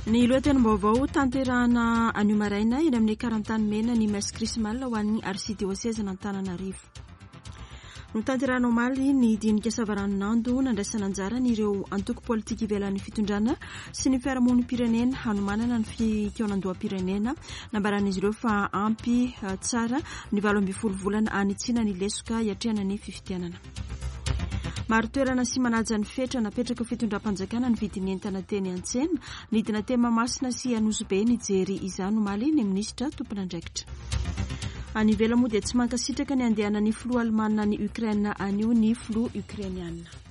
Ny lohatenim-baovao tanterahana anio maraina eny amin'ny Karantanimena ny Messe Chrismale ho an'ny Arsidiosezin'Antananarivo. Notanterahina omaly ny dinika savaranonando nandraisana anjara ireo antoko politika ivelan'ny fitondrana sy ny fiarahamonim-pirenena hanomanana ny fikaonandoham-pirenena. Nambaran'izy ireo fa ampy eh, tsara ny 18 volana hanitsiana ny lesoka hiatrehana ny fifidianana. Marin-toerana sy manaja ny fetra napetraka fitondram-panjakana ny vidin'ny entana teny an-tsena. Nidina teny Mahamasina sy Anosibe nijery izany omaly ny minisitra tompon'andraikitra. Any ivelany moa dia tsy mankasitraka ny handehanan'ny filoha alemanina any Ukraine anio ny filoha ukrainiana.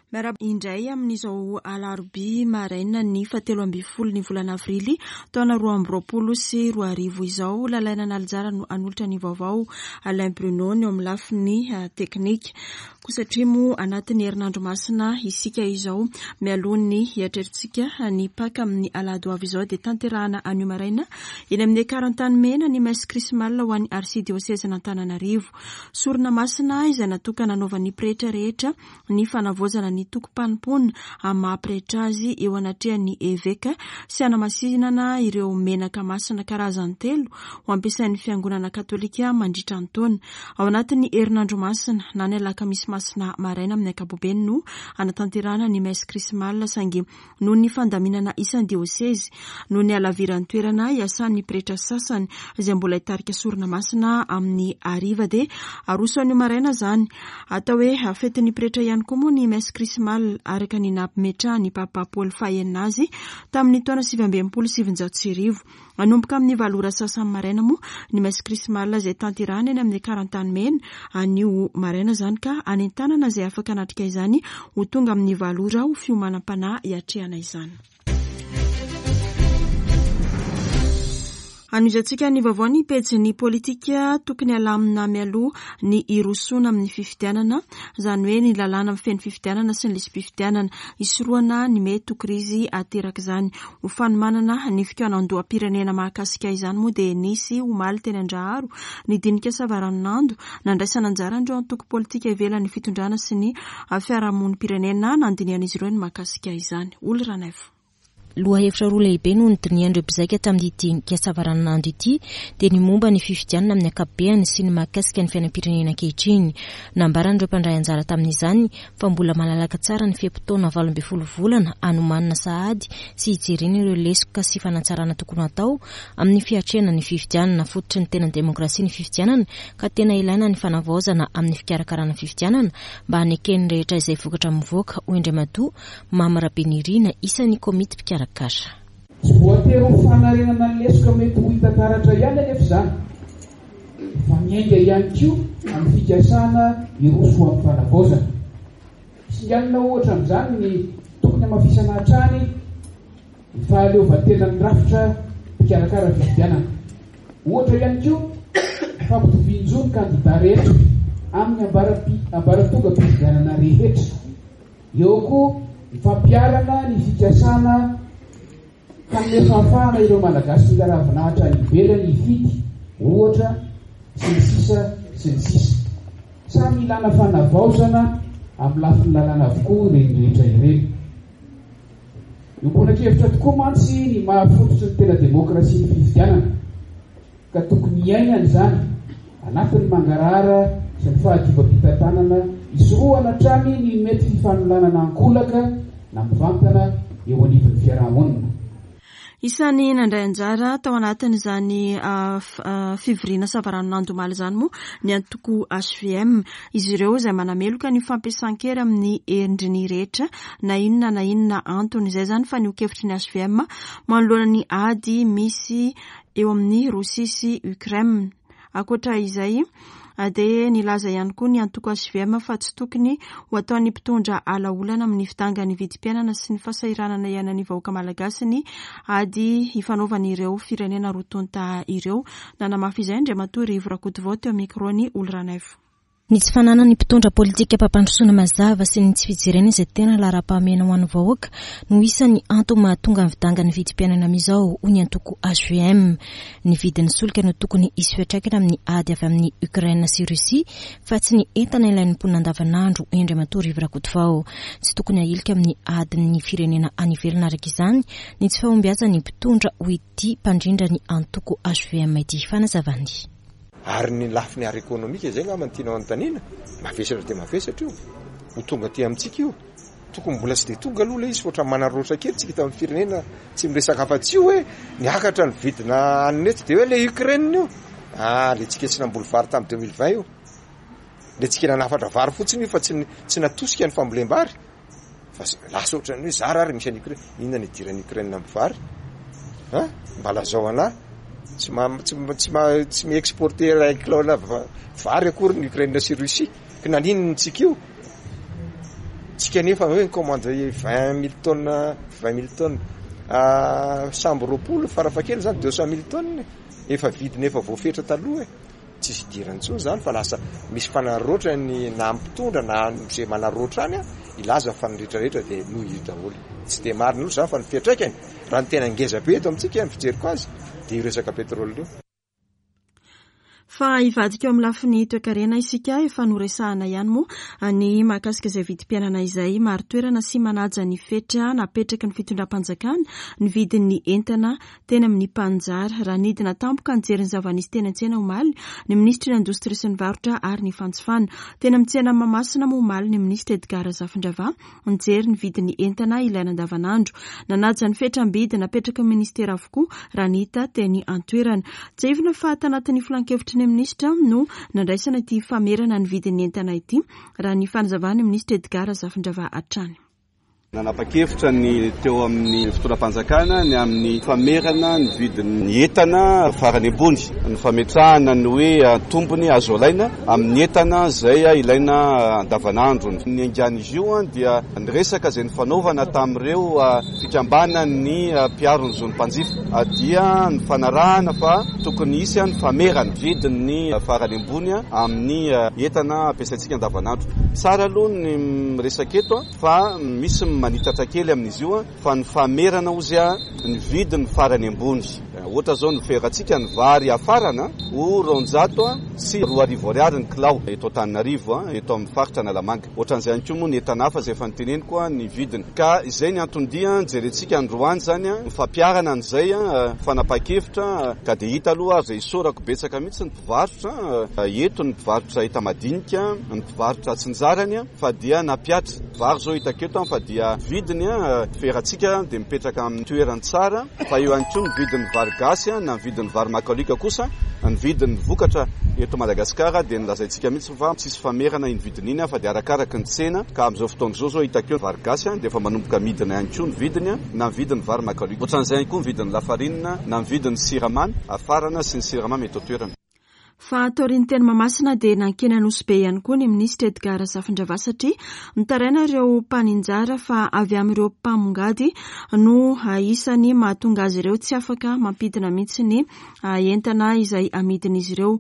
Miarahaba indray amin'izao alarobia maraina ny fahatelo ambin'ny folo ny volana avrily taona 2022 izao. Lalaina Analinjara no hanolotra ny vaovao, Alain Bruno ny eo amin'ny lafiny eh, teknika. Koa satria moa anatin'ny herinandro masina isika izao, mialoha ny hiatrehantsika ny Paka amin'ny alahady ho avy izao dia tanterahana anio maraina eny amin'ny Ekar Antanimena ny Messe Chrismale ho an'ny Arsidiosezin'Antananarivo. Sorona masina izay natokana hanaovan'ny pretra rehetra ny fanavaozana ny tokim-panompoana amin'ny maha pretra azy eo anatrehan'ny eveka sy hanamasinana ireo menaka masina karazany telo ho ampiasain'ny Fiangonana Katolika mandritra ny taona. Ao anatin'ny herinandro masina, na ny alakamisy masina maraina amin'ny ankapobeny no hanatanterahana ny messe chrismale saingy noho ny fandaminana isan-diosezy, noho ny halaviran'ny toerana iasan'ny pretra sasany izay mbola hitarika sorona masina amin'ny hariva dia aroso anio maraina izany. Atao hoe fetin'ny pretra ihany koa moa ny messe chrismale araka ny nametrahan'ny Papa Paoly fahenina azy tamin'ny taona 1969. Manomboka amin'ny valo ora sasany maraina moa ny messe chrismale izay tanterahina eny amin'ny Karantanimena anio maraina izany ka anentanana izay afaka hanatrika izany ho tonga amin'ny valo ora ho fiomanam-panahy hiatrehana izany. Hanohizantsika ny vaovao ny pejin'ny politika tokony halamina mialoha ny hirosoana amin'ny fifidianana, izany hoe ny lalàna mifehy ny fifidianana sy ny lisi-pifidianana, hisorohana ny mety ho krizy aterak'izany. Ho fanomanana ny fikaonandoham-pirenena mahakasika izany moa dia nisy omaly teny Andraharo ny dinika savaranonando nandraisana anjara an'ireo antoko politika ivelan'ny fitondrana sy ny fiarahamonim-pirenena nandinihan'izy ireo ny mahakasika izany. Oly Ranaivo. Lohahevitra roa lehibe no nodinihan'ireo mpizaika tamin'ity dinika savaranonando ity dia ny momba ny fifidianana amin'ny ankapobeany sy ny mahakasika ny fiainam-pirenena ankehitriny. Nambaran'ireo mpandray anjara tamin'izany fa mbola malalaka tsara ny fe-potoana 18 volana hanomanana sahady sy hijerena ireo lesoka sy fanatsarana tokony hatao amin'ny fiatrehana ny fifidianana. Fototry ny tena demokrasia ny fifidianana ka tena ilaina ny fanavaozana amin'ny fikarakarana fifidianana mba haneken'ny rehetra izay vokatra mivoaka, hoy Andriamatoa Mamy Rabenirina, isan'ny komity mpikarakara. Tsy voatery ho fanarenana ny lesoka mety ho hita taratra ihany anefa izany fa miainga ihany koa amin'ny fikasana hiroso ho amin'ny fanavaozana. Singanina ohatra amin'izany ny tokony hamafisana hatrany ny fahaleovantenan'ny rafitra mpikarakara fifidianana. Ohatra ihany koa ny fampitovian-jo ny kandida rehetra amin'ny ambaratongam-pifidianana rehetra. Eo koa ny fampiharana ny fikasana Hanome fahafahana ireo Malagasy mila ravinahitra any ivelany hifidy, ohatra, sy ny sisa sy ny sisa. Samy ilana fanavaozana amin'ny lafiny lalàna avokoa ireny rehetra ireny. Iombona-kevitra tokoa mantsy ny maha fototry ny tena demokrasia ny fifidianana. ka tokony hiainana izany anatin'ny mangarahara sy ny fahadiovam-pitantanana hisorohana hatrany ny mety fifanolanana ankolaka na mivantana eo anivon'ny fiarahamonina. Isan'ny nandray anjara tao anatin'izany fivoriana savaranonando omaly izany moa ny antoko hvm. Izy ireo izay manameloka ny fampiasan-kery amin'ny endriny rehetra na inona na inona antony. Izay izany fa ny ho kevitry ny hvm manoloana ny ady misy eo amin'i Rosia sy Ukraine. Ankoatra izay dia nilaza ihany koa ny antoko hvm fa tsy tokony ho ataon'ny mpitondra ala olana amin'ny fidangan'ny vidim-piainana sy ny fahasahiranana iainan'ny vahoaka malagasy ny ady ifanaovan'ireo firenena roa tonta ireo. Nanamafy izay Andriamatoa Rivo Rakotovao teo amin'ny micro-n'i Oly Ranaivo. Ny tsy fananan'ny mpitondra politikam-pampandrosoana mazava sy ny tsy fijerena izay tena laharam-pahamehana ho an'ny vahoaka no isan'ny antony mahatonga ny fidangan'ny vidim-piainana amin'izao, hoy ny antoko hvm. Ny vidin'ny solika no tokony hisy fiantraikany amin'ny ady avy amin'i Ukraine sy Russie fa tsy ny entana ilain'ny mponina andavanandro, hoy Andriamatoa Rivo Rakotovao. Tsy tokony hahilika amin'ny adin'ny firenena any ivelany araka izany ny tsy fahombiazan'ny mpitondra, hoy ity mpandrindra ny antoko hvm ity. Fanazavany. Ary ny lafiny ara-ekonomika izay angamba no tianao anontaniana, mavesatra dia mavesatra io, ho tonga aty amintsika io. Tokony mbola tsy dia tonga aloha ilay izy fa ohatran'ny manararaotra kely tsika eto amin'ny firenena, tsy miresaka afa-tsy io hoe niakatra ny vidina hanina eto dia hoe ilay Ukraine io, ah ilay tsika tsy namboly vary tamin'ny 2020 io, ilay tsika nanafatra vary fotsiny io fa tsy tsy natosika ny fambolem-bary. Fa lasa ohatran'ny hoe zara ary misy an'i Ukraine. Inona ny idiran'i Ukraine amin'ny vary? Hein? Mba lazao anah. Tsy ma tsy tsy ma tsy mi-exporter iray kilao-na vary akory ny Ukraine sy Russie. Ka naninona tsika io? Tsika nefa hoe ni-commande 20 mille tonnes, 20 mille tonnes. Sambo 20 farafakely zany 200 mille tonnes. Efa vidiny efa voafetra taloha e. Tsisy idirany intsony izany fa lasa misy fanararaotra ny na mpitondra na izay manararaotra any hilaza fa ny rehetra rehetra dia noho io daholo. Tsy dia marina loatra izany fa ny fiantraikany raha ny tena ngeza be eto amintsika ny fijeriko azy dia io resaka pétrole io. Fa hivadika eo amin'ny lafiny toekarena isika, efa noresahana ihany moa ny mahakasika izay vidim-piainana izay. Marin-toerana sy manaja ny fetra napetraky ny fitondram-panjakana ny vidin'ny entana teny amin'ny mpaninjara. Raha nidina tampoka nijery ny zava-nisy teny an-tsena omaly ny minisitry ny Indostria sy ny Varotra ary ny Fanjifana. Teny amin'ny tsenan'i Mahamasina moa omaly ny minisitra Edgard Razafindravahy nijery ny vidin'ny entana ilaina andavanandro. Nanaja ny fetram-bidy napetraky ny minisitera avokoa raha ny hita teny an-toerana. Tsiahivina fa tanatin'ny filankevitry ny minisitra no nandraisana ity famerana ny vidin'ny entana ity, raha ny fanazavan'ny minisitra Edgard Razafindravahy hatrany. Nanapa-kevitra ny teo amin'ny fitondram-panjakana ny amin'ny famerana ny vidin'ny entana farany ambony, ny fametrahana ny hoe tombony azo alaina amin'ny entana izay ilaina andavanandro. Ny niaingan'izy io dia ny resaka izay nifanaovana tamin'ireo fikambanan'ny mpiaro ny zon'ny mpanjifa dia nifanarahana fa tokony hisy ny famerana vidin'ny farany ambony amin'ny entana ampiasaintsika andavanandro. Tsara aloha ny miresaka eto. Fa misy ny manitatra kely amin'izy io fa ny famerana ozy ny vidiny farany ambony. Ohatra zao ny ferantsika ny vary hafarana ho 2200 ariary ny kilao eto Antananarivo, eto amin'ny faritra Analamanga. Ohatran'izay ihany koa moa ny entana hafa izay efa noteneniko ny vidiny. Ka izay ny anton-dia jerentsika androany izany ny fampiharana an'izay fanapahan-kevitra ka dia hita aloha ary izay isaorako betsaka mihitsy ny mpivarotra eto, ny mpivarotra enta-madinika, ny mpivarotra atsinjarany. Fa dia nampiatra. Vary zao hitako eto fa dia vidiny ferantsika dia mipetraka amin'ny toerany tsara fa eo ihany koa ny vidin'ny vary gasy na ny vidin'ny vary makalioka kosa ny vidin'ny vokatra eto Madagasikara dia nolazaintsika mihitsy fa tsisy famerana iny vidiny iny fa dia arakaraky ny tsena ka amin'izao fotoana izao zao hitako eo vary gasy dia efa manomboka midina ihany koa ny vidiny na ny vidin'ny vary makalioka. Ohatran'izay ihany koa ny vidin'ny lafarinina na ny vidin'ny siramamy afarana sy ny siramamy eto an-toerana. Fa taorian'ny teny Mahamasina dia nankeny Anosibe ihany koa ny minisitra Edgard Razafindravahy satria mitaraina ireo mpaninjara fa avy amin'ireo mpamongady no isan'ny mahatonga azy ireo tsy afaka mampidina mihitsy ny entana izay amidin'izy ireo.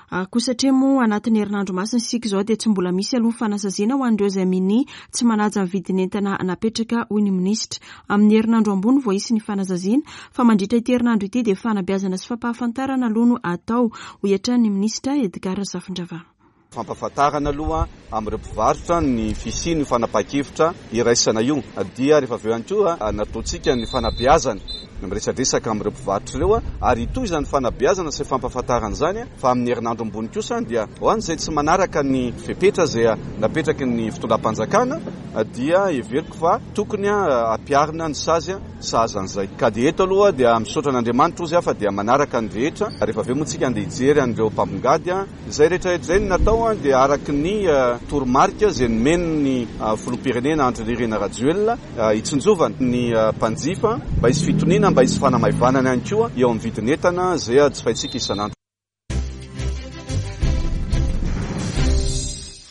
Koa satria moa anatin'ny herinandro masina isika izao dia tsy mbola misy aloha ny fanasaziana ho an'ireo izay minia tsy manaja ny vidin'entana napetraka hoy ny minisitra. Amin'ny herinandro ambony vao hisy ny fanasaziana fa mandritra ity herinandro ity dia fanabeazana sy fampahafantarana aloha no atao, hoy hatrany ny minisitra Edgard Razafindravahy. Fampahafantarana aloha amin'ireo mpivarotra ny fisian'io fanapahan-kevitra iraisana io dia rehefa avy eo ihany koa nataontsika ny fanabeazana, miresadresaka amin'ireo mpivarotra ireo ary hitohy izany fanabeazana sy fampahafantarana izany fa amin'ny herinandro ambony kosa dia ho an'izay tsy manaraka ny fepetra izay napetraky ny fitondram-panjakana dia heveriko fa tokony hampiharina ny sazy sahaza an'izay. Ka dia eto aloha dia misaotra an'Andriamanitra ozy aho fa dia manaraka ny rehetra. Rehefa avy eo moa tsika andeha hijery an'ireo mpambongady. Izay rehetra rehetra izay no natao dia araka ny toromarika izay nomen'ny Filoham-pirenena Andry Nirina Rajoelina hitsinjovana ny mpanjifa mba hisy fitoniana, mba hisy fanamaivanana ihany koa eo amin'ny vidin'entana izay jifaintsika isan'andro.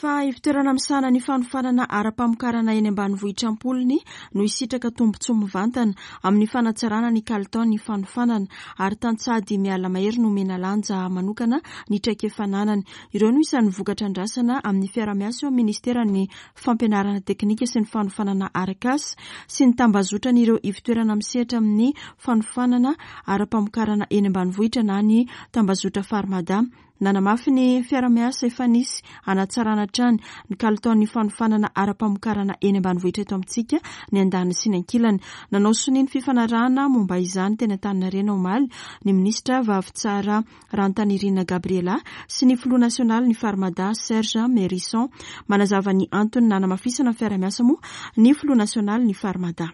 Fa Efa ivontoerana misahana ny fanofanana ara-pamokarana eny ambanivohitra am-polony no hisitraka tombontsoa mivantana amin'ny fanatsarana ny kalitaon'ny fanofanana ary tantsaha 5 alina mahery no omena lanja manokana ny traikefa ananany. Ireo no isan'ny vokatra andrasana amin'ny fiaraha-miasa eo amin'ny ministeran'ny fampianarana teknika sy ny fanofanana arak'asa sy ny tambazotran'ireo ivontoerana misehatra amin'ny fanofanana ara-pamokarana eny ambanivohitra na ny tambazotra Farmada. Nanamafy ny fiaraha-miasa efa nisy hanatsarana hatrany ny kalitaon'ny fanofanana ara-pamokarana eny ambanivohitra eto amintsika ny andaniny sy ny ankilany. Nanao sonia ny fifanarahana momba izany teny Antaninarenina omaly ny minisitra Vavitsara Rantanirina Gabriela sy ny filoha nasionalin'ny Farmada Serge Merisson. Manazava ny antony nanamafisana ny fiaraha-miasa moa ny filoha nasionalin'ny Farmada.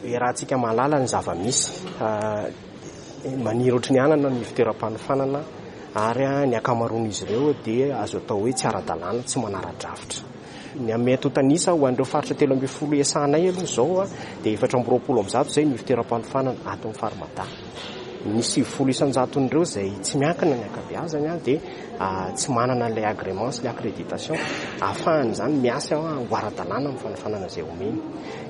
Iarahantsika mahalala ny zava-misy. Maniry ohatry ny anana ny fitoeram-panofanana ary ny ankamaroan'izy ireo dia azo atao hoe tsy ara-dalàna, tsy manara-drafitra. Ny amin'ny antontan'isa ho an'ireo faritra 13 iasanay aloha izao dia 124 izay ny fitoeram-panofanana ato amin'ny Farmada. Ny 90 isan-jaton'ireo izay tsy miankina ny ankabeazany dia tsy manana an'ilay agrément sy ilay accréditation ahafahany izany miasa ho ara-dalàna amin'ny fanofanana izay omeny.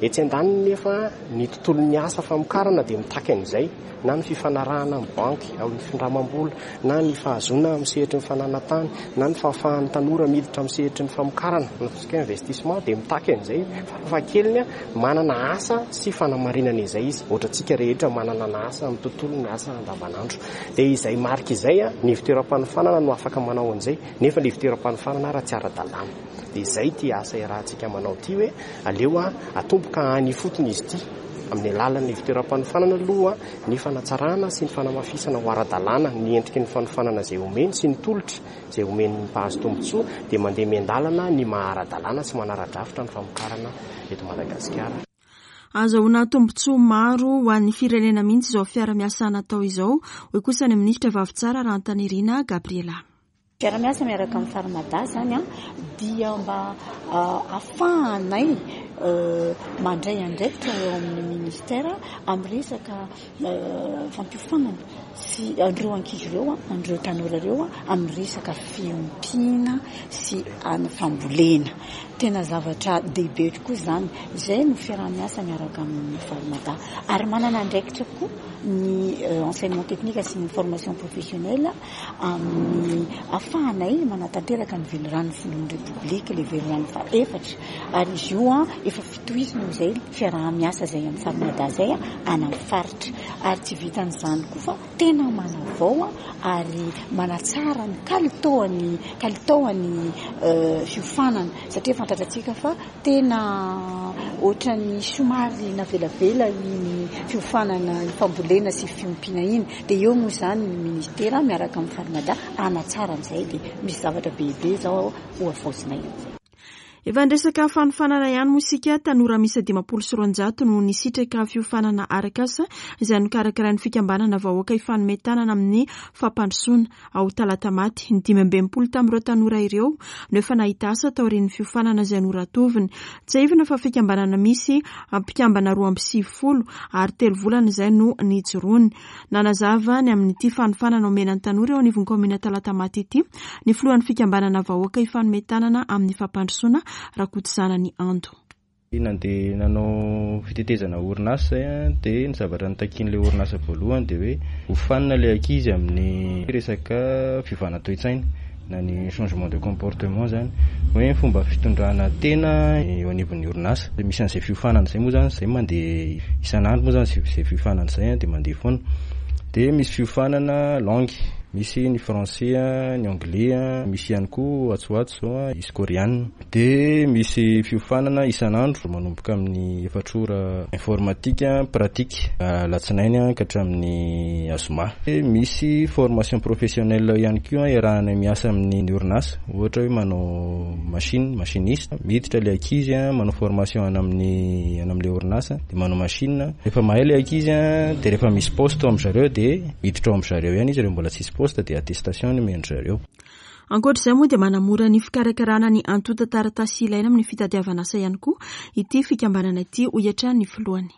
Etsy andaniny nefa, ny tontolon'ny asa famokarana dia mitaky an'izay, na ny fifanarahana amin'ny banky, amin'ny findramam-bola, na ny fahazoana amin'ny sehatry ny fananan-tany, na ny fahafahan'ny tanora miditra amin'ny sehatry ny famokarana, na ataontsika hoe investissement, dia mitaky an'izay. Farafahakeliny, manana asa sy fanamarinana izay izy, ohatrantsika rehetra manana asa amin'ny tontolon'ny asa andavanandro. Dia izay marika izay, ny ivontoeram-panofanana no afaka manao an'izay, nefa ilay ivontoeram-panofanana ara tsy ara-dalàna. Dia izay ity asa iarahantsika manao ity hoe aleo atomboka any ifotony izy ity amin'ny alalan'ny ivontoeram-panofanana aloha ny fanatsarana sy ny fanamafisana ho ara-dalàna ny endriky ny fanofanana izay omeny sy ny tolotra izay omen'ny mpahazo tombontsoa dia mandeha miandalana ny maha ara-dalàna sy manara-drafitra ny famokarana eto Madagasikara. Ahazoana tombontsoa maro ho an'ny firenena mihitsy izao fiara-miasa natao izao, hoy kosa ny minisitra Vavitsara Rahantanirina Gabriela. Fiara-miasa miaraka amin'ny Farmada izany dia mba ahafahanay mandray andraikitra eo amin'ny ministera amin'ny resaka fampiofanana sy an'ireo ankizy ireo, an'ireo tanora ireo amin'ny resaka fiompiana sy ny fambolena. Tena zavatra dehibe tokoa izany. Izay no fiaraha-miasa miaraka amin'ny Farmada. Ary manana andraikitra koa ny enseignement technique sy ny formation professionnelle amin'ny ahafahanay manatanteraka ny veliranon'ny filohan'ny Repoblika, ilay velirano fahaefatra. Ary izy io efa fitohizana izay fiaraha-miasa izay amin'ny Farmada izay any amin'ny faritra. Ary tsy vitan'izany koa fa tena manavao ary manatsara ny kalitaon'ny kalitaon'ny fiofanana satria fantatratsika fa Tena ohatran'ny somary navelavela iny fiofanana fambolena sy fiompiana iny. Dia eo moa izany ny ministera miaraka amin'ny Farmada hanatsara an'izay dia misy zavatra be izao hohavaozina eo. Efa niresaka fanofanana ihany moa isika, tanora miisa 250 no nisitraka fiofanana arak'asa izay nokarakarain'ny fikambanana Vahoaka Hifanome Tanana amin'ny Fampandrosoana. ao Talatamaty. Ny 65 tamin'ireo tanora ireo no efa nahita asa taorian'ny fiofanana izay noratoviny. Tsiahivina fa fikambanana misy mpikambana 92 ary telo volana izay no nijoroany. Nanazava ny amin'ity fanofanana omena ny tanora eo anivon'ny kaominina Talatamaty ity ny filohan'ny fikambanana Vahoaka Hifanome Tanana amin'ny Fampandrosoana, Rakotozanany Ando. Nandeha nanao fitetezana orinasa izay dia ny zavatra notakian'ilay orinasa voalohany dia hoe hofanina ilay ankizy amin'ny resaka fiovana toe-tsaina na ny changement de comportement izany, hoe ny fomba fitondrana tena eo anivon'ny orinasa. Dia misy an'izay fiofanana izay moa izany, izay mandeha isan'andro moa izany izay fiofanana izay dia mandeha foana. Dia misy fiofanana langue, misy ny français, ny anglais, misy ihany koa atsy ho atsy izao hisy koreana. Dia misy fiofanana isan'andro manomboka amin'ny efatra ora informatique pratique alatsinainy ka hatramin'ny azoma. Dia misy formation professionnelle ihany koa iarahanay miasa amin'ny orinasa, ohatra hoe manao machine, machiniste, miditra ilay ankizy manao formation any amin'ny any amin'ilay orinasa dia manao machine, rehefa mahay ilay ankizy dia rehefa misy poste ao amin-dry zareo dia miditra ao amin-dry zareo ihany izy rehefa mbola tsisy poste dia attestation no omen-dry zareo. Ankoatra izay moa dia manamora ny fikarakarana ny antontan-taratasy ilaina amin'ny fitadiavana asa ihany koa ity fikambanana ity, hoy hatrany ny filohany.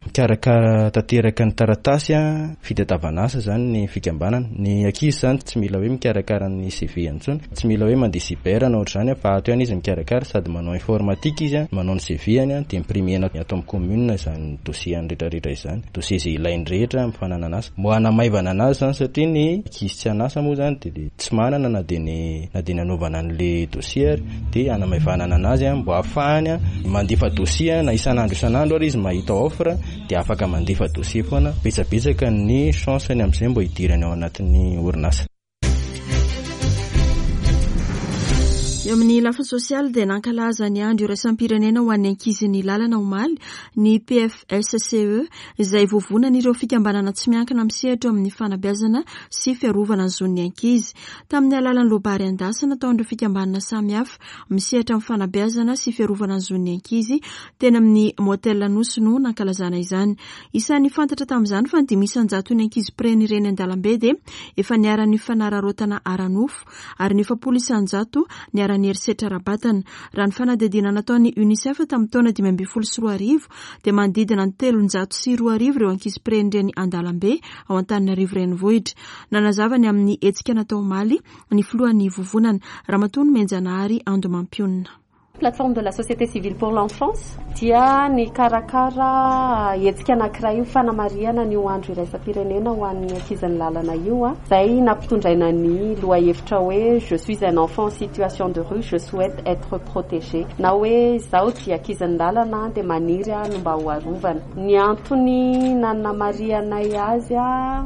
Mikarakara tanteraka ny taratasy fitadiavana asa izany ny fikambanana. Ny ankizy izany tsy mila hoe mikarakara ny CV intsony, tsy mila hoe mandeha cyber na ohatr'izany fa ato ihany izy mikarakara sady manao informatique izy, manao ny CV-ny dia imprimer-na ato amin'ny commune izany dossier-ny rehetrarehetra izany, dossier izay ilainy rehetra amin'ny fananana asa. Mba hanamaivana anazy izany satria ny ankizy tsy an'asa moa izany dia tsy manana na dia ny na dia ny hanaovana an'ilay dossier ary dia hanamaivanana anazy mba hahafahany mandefa dossier na isan'andro isan'andro ary izy mahita offre dia afaka mandefa dossier foana, betsabetsaka ny chance-ny amin'izay mba hidirany ao anatin'ny orinasa. Eo amin'ny lafiny sosialy dia nankalaza ny andro iraisam-pirenena ho an'ny ankizy ny lalana omaly ny PFSCE izay vovonan'ireo fikambanana tsy miankina misehatra eo amin'ny fanabeazana sy fiarovana ny zon'ny ankizy. Tamin'ny alalan'ny loabary an-dasy nataon'ireo fikambanana samihafa misehatra amin'ny fanabeazana sy fiarovana ny zon'ny ankizy teny amin'ny Motel Anosy no nankalazana izany. Isan'ny fantatra tamin'izany fa ny 5% ankizy mpirenireny an-dalambe dia efa niharan'ny fanararaotana ara-nofo ary ny 40% niharan'ny herisetra ara-batana. Raha ny fanadihadiana nataon'ny Unicef tamin'ny taona 2015 dia manodidina ny 2300 ireo ankizy mpirenireny an-dalambe ao Antananarivo Renivohitra. Nanazava ny amin'ny hetsika natao omaly ny filohan'ny vovonana, Ramatoa Nomenjanahary Andomampionona. Plateforme de la société civile pour l'enfance dia nikarakara hetsika anankiray ho fanamarihana an'io andro iraisam-pirenena ho an'ny ankizin'ny lalana io, izay nampitondraina ny lohahevitra hoe Je suis un enfant en situation de rue, je souhaite être protégé na hoe izaho dia ankizin'ny lalana dia maniry aho ny mba ho arovana. Ny antony nanamarihanay azy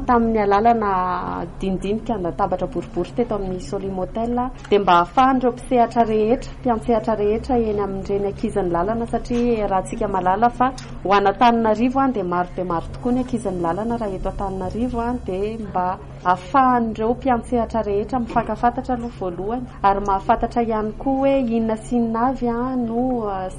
tamin'ny alalana dinidinika an-databatra boribory teto amin'ny Solimotel dia mba hahafahan'ireo mpisehatra rehetra, mpiantsehatra rehetra eny amin'ireny ankizin'ny lalana satria iarahantsika mahalala fa ho an'Antananarivo dia maro dia maro tokoa ny ankizin'ny lalana raha eto Antananarivo dia mba hahafahan'ireo mpiantsehatra rehetra mifankafantatra aloha voalohany ary mahafantatra ihany koa hoe inona sy inona avy no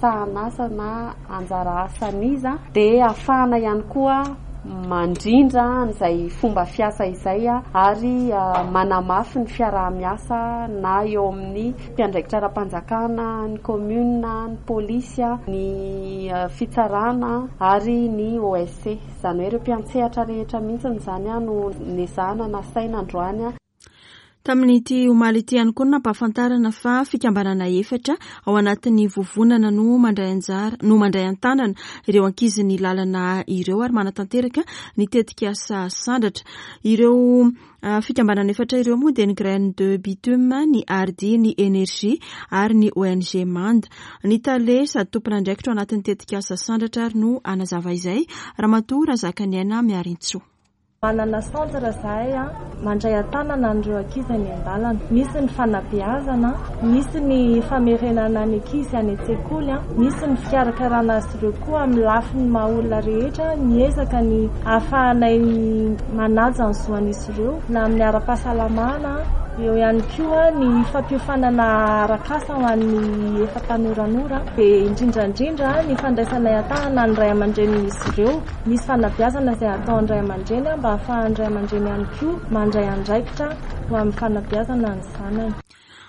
sahan'asa na anjara asan'iza dia hahafahana ihany koa mandrindra an'izay fomba fiasa izay ary manamafy ny fiaraha-miasa na eo amin'ny mpiandraikitra ara-panjakana, ny commune, ny polisy, ny fitsarana ary ny OSC. Izany hoe ireo mpiantsehatra rehetra mihitsy izany no nezahana nasaina androany. Tamin'ity omaly ity ihany koa no nampahafantarana fa fikambanana efatra ao anatin'ny vovonana no mandray anjara no mandray an-tanana ireo ankizin'ny lalana ireo ary manatanteraka ny tetikasa Sandratra. Ireo ah, fikambanana efatra ireo moa dia ny Graine de Bitume, ny Ardi, ny Energie ary ny ONG Manda. Ny tale sady tompon'andraikitra ao anatin'ny tetikasa Sandratra ary no hanazava izay, Ramatoa Razakaniaina Miarintsoa. Manana centre izahay mandray an-tanana an'ireo ankizy any an-dalana. Misy ny fanabeazana, misy ny famerenana ny ankizy any an-tsekoly, misy ny fikarakarana azy ireo koa amin'ny lafiny maha olona rehetra. Miezaka ny ahafahanay manaja ny zoan'izy ireo na amin'ny ara-pahasalamana, eo ihany koa ny fampiofanana arak'asa ho an'ny efa tanoranora, dia indrindra indrindra ny fandraisanay an-tanana ny ray aman-drenin'izy ireo. Misy fanabeazana izay ataon'ny ray aman-dreny mba hahafahan'ny ray aman-dreny ihany koa mandray andraikitra ho amin'ny fanabeazana ny zanany.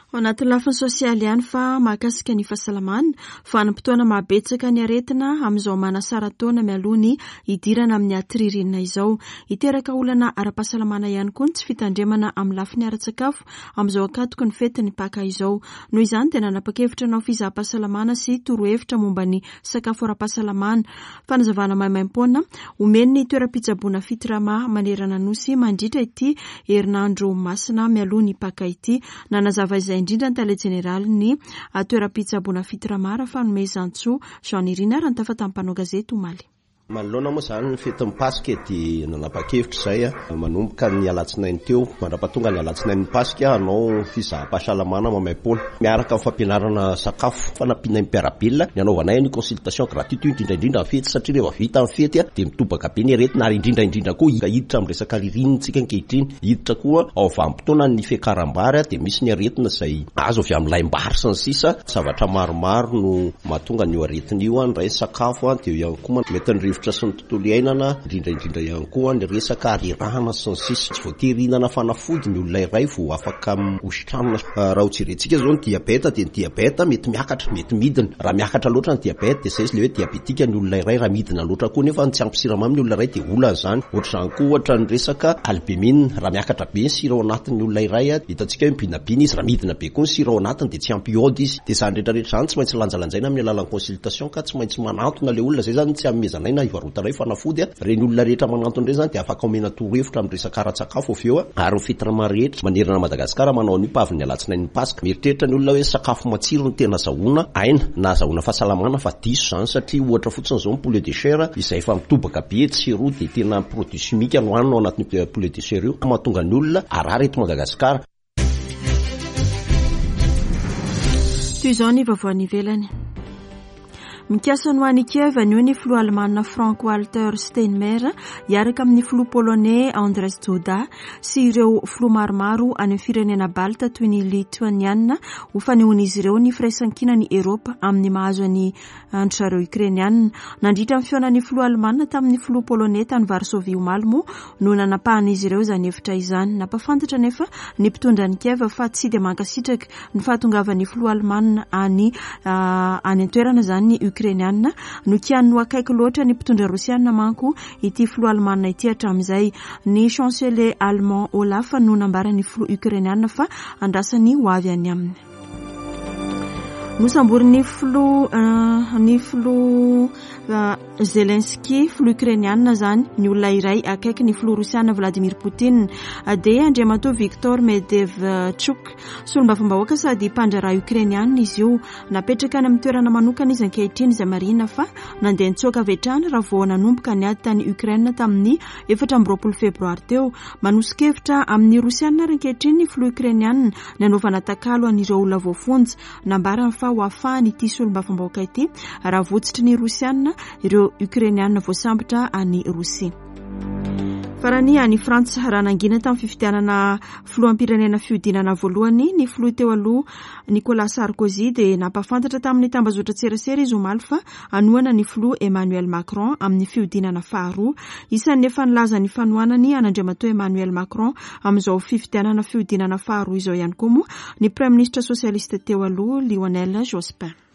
Ao anatin'ny lafiny sosialy ihany fa mahakasika ny fahasalamana, vanim-potoana mahabetsaka ny aretina amin'izao manasara-taona mialoha ny hidirana amin'ny atiririnina izao. Hiteraka olana ara-pahasalamana ihany koa ny tsy fitandremana amin'ny lafiny ara-tsakafo amin'izao ankatoky ny fetin'ny Paka izao. Noho izany dia nanapa-kevitra hanao fizaham-pahasalamana sy torohevitra momba ny sakafo ara-pahasalamana Fanazavana maimaimpoana omen'ny toeram-pitsaboana Fitrama manerana Nosy mandritra ity herinandro masina mialoha ny Paka ity. Nanazava izay indrindra ny tale jeneralin'ny toeram-pitsaboana Fitrama, Rafanomezantsoa Jean Nirina raha nitafa tamin'ny mpanao gazety omaly. Manoloana moa izany ny fetin'ny Paska dia nanapa-kevitra izay manomboka ny alatsinainy teo mandra-pahatonga ny alatsinain'ny Paska hanao fizaham-pahasalamana maimaimpoana miaraka amin'ny fampianarana sakafo fanampiana ny mpiara-belona ny hanaovanay an'io consultation gratuite io indrindra indrindra ny fety satria rehefa vita ny fety dia mitobaka be ny aretina ary indrindra indrindra koa hiditra amin'ny resaka ririnina tsika ankehitriny hiditra koa ao vanim-potoana ny fiakaram-bary dia misy ny aretina izay azo avy amin'ny laim-bary sy ny sisa zavatra maromaro no mahatonga an'io aretina io indray ny sakafo dia eo ihany koa mety ny rivotra. rivotra sy ny tontolo iainana, indrindra indrindra ihany koa ny resaka harerahana sy ny sisa. Tsy voatery hihinana fanafody ny olona iray vao afaka hositranina. Raha ho jerentsika izao ny diabeta dia ny diabeta mety miakatra, mety midina. Raha miakatra loatra ny diabeta dia izay izy ilay hoe diabetika ny olona iray, raha midina loatra koa nefa tsy ampy siramamy ny olona iray dia olana izany. Ohatr'izany koa ohatra ny resaka albumine, raha miakatra be ny sira ao anatin'ny olona iray, hitantsika hoe mibinabina izy, raha midina be koa ny sira ao anatiny dia tsy ampy iode izy. Dia izany rehetra rehetra izany tsy maintsy lanjalanjaina amin'ny alalan'ny consultation ka tsy maintsy manantona ilay olona, izay izany tsy anomezanay na ivarotanay fanafody a, ireny olona rehetra manantona ireny izany dia afaka omena torohevitra amin'ny resaka ara-tsakafo avy eo a, ary ny fitrama rehetra manerana an'i Madagasikara manao an'io pavin'ny alatsinain'ny Paska. Mieritreritra ny olona hoe sakafo matsiro no tena azahoana aina na azahoana fahasalamana fa diso izany satria ohatra fotsiny izao ny poulet de chair izay efa mitobaka be etsy sy eroa dia tena produit chimique no hanina ao anatin'io poulet de chair io mahatonga ny olona harary eto Madagasikara. Toy izao ny vaovao any ivelany. Mikasa ny ho any Kiev anio ny filoha alemana Frank Walter Steinmeier hiaraka amin'ny filoha polonais Andrzej Duda sy ireo filoha maromaro any amin'ny firenena Balta toy ny Lituaniana ho fanehoan'izy ireo ny firaisankinan'i Eropa amin'ny mahazo an'i an-dry zareo Ukrainiana. Nandritra ny fihaonan'ny filoha alemana tamin'ny filoha poloney tany Varsovie omaly moa no nanapahan'izy ireo izany hevitra izany. Nampahafantatra anefa ny mpitondra an'i Kiev fa tsy dia mankasitraka ny fahatongavan'ny filoha alemana any any an-toerana izany ny Ukrainiana. Nokianiny ho akaiky loatra ny mpitondra rosiana manko ity filoha alemana ity hatramin'izay. Ny chancelier allemand Olaf no nambaran'ny filoha ukrainiana fa andrasany ho avy any aminy. Nosamborin'ny filoha ny filoha Zelensky, filoha Ukrainiana izany, ny olona iray akaiky ny filoha Rosiana Vladimir Poutine, dia Andriamatoa Viktor Medvedchuk. Solombavambahoaka sady mpandraharaha Ukrainiana izy io. Napetraka any amin'ny toerana manokana izy ankehitriny izay marihina fa nandeha nitsoaka avy hatrany raha vao nanomboka ny ady tany Ukraine tamin'ny 24 febroary teo. Manoso-kevitra amin'ny Rosiana ary ankehitriny ny filoha Ukrainiana ny hanaovana takalo an'ireo olona voafonja. Nambarany fa ho afahany ity solombavambahoaka ity raha votsitry ny Rosiana ireo Ukrainiana voasambotra any Rosia. Farany, any Frantsa, raha nangina tamin'ny fifidianana filoham-pirenena fihodinana voalohany ny filoha teo aloha Nicolas Sarkozy dia nampahafantatra tamin'ny tambazotran-tserasera izy omaly fa hanohana ny filoha Emmanuel Macron amin'ny fihodinana faharoa. Isan'ny efa nilaza ny fanohanany an'Andriamatoa Emmanuel Macron amin'izao fifidianana fihodinana faharoa izao ihany koa moa ny praiminisitra sosialista teo aloha Lionel Jospin.